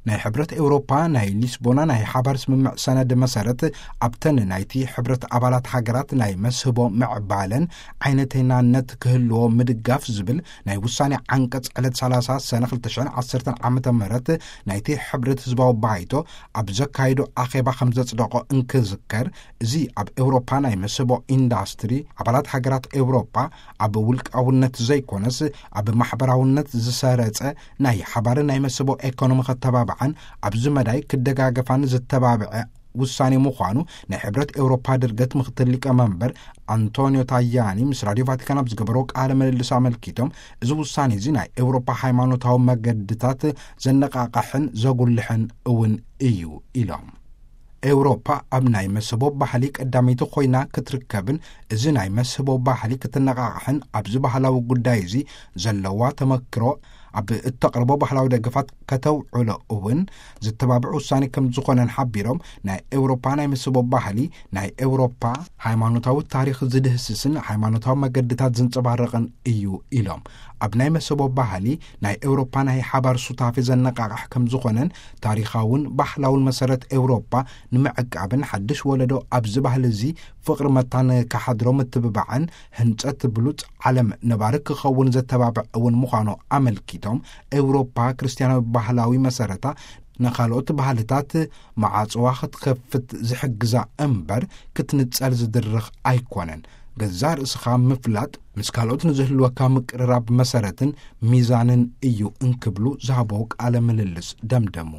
ናይ ሕብረት ኤውሮፓ ናይ ሊስቦና ናይ ሓባር ስምምዕ ሰነድ መሰረት፣ ኣብተን ናይቲ ሕብረት ኣባላት ሃገራት ናይ መስህቦ ምዕባለን ዓይነተይናነት ክህልዎ ምድጋፍ ዝብል ናይ ውሳኔ ዓንቀጽ ዕለት ሰላሳ ሰነ ክልተ ሽሕን ዓሰርተን ዓመተ ምህረት ናይቲ ሕብረት ህዝባዊ ባይቶ ኣብ ዘካየዶ ኣኼባ ከም ዘጽደቖ እንክዝከር፣ እዚ ኣብ ኤውሮፓ ናይ መስህቦ ኢንዳስትሪ ኣባላት ሃገራት ኤውሮፓ ኣብ ውልቃውነት ዘይኮነስ ኣብ ማሕበራውነት ዝሰረጸ ናይ ሓባር ናይ መስህቦ ኤኮኖሚ ከተባብዓን ኣብዚ መዳይ ክደጋገፋን ዝተባብዐ ውሳኔ ምዃኑ ናይ ሕብረት ኤውሮፓ ድርገት ምክትል ሊቀመንበር ኣንቶኒዮ ታያኒ ምስ ራዲዮ ቫቲካን ኣብ ዝገበሮ ቃለ ምልልስ ኣመልኪቶም፣ እዚ ውሳኔ እዚ ናይ ኤውሮፓ ሃይማኖታዊ መገድታት ዘነቃቃሕን ዘጉልሕን እውን እዩ ኢሎም። ኤውሮፓ ኣብ ናይ መስህቦ ባህሊ ቀዳመይቲ ኮይና ክትርከብን እዚ ናይ መስህቦ ባህሊ ክትነቃቃሕን ኣብዚ ባህላዊ ጉዳይ እዚ ዘለዋ ተመክሮ ኣብ እተቕርቦ ባህላዊ ደገፋት ከተውዕሎ እውን ዝተባብዕ ውሳኔ ከም ዝኾነን ሓቢሮም፣ ናይ ኤውሮፓ ናይ መስህቦ ባህሊ ናይ ኤውሮፓ ሃይማኖታዊ ታሪኽ ዝድህስስን ሃይማኖታዊ መገድታት ዝንጸባረቕን እዩ ኢሎም። ኣብ ናይ መስህቦ ባህሊ ናይ ኤውሮፓ ናይ ሓባር ሱታፌ ዘነቃቃሕ ከም ዝኾነን ታሪኻውን ባህላውን መሰረት ኤውሮፓ ንምዕቃብን ሓድሽ ወለዶ ኣብዚ ባህሊ እዚ ፍቕሪ መታን ክሓድሮ ምትብባዕን ህንጸት ብሉጽ ዓለም ነባሪ ክኸውን ዘተባብዕ እውን ምዃኑ ኣመልኪቶም፣ ኤውሮፓ ክርስትያናዊ ባህላዊ መሰረታ ንኻልኦት ባህልታት መዓጽዋ ክትከፍት ዝሕግዛ እምበር ክትንጸል ዝድርኽ ኣይኮነን። ገዛእ ርእስኻ ምፍላጥ ምስ ካልኦት ንዝህልወካ ምቅርራብ መሰረትን ሚዛንን እዩ እንክብሉ ዝሃበው ቃለ ምልልስ ደምደሙ።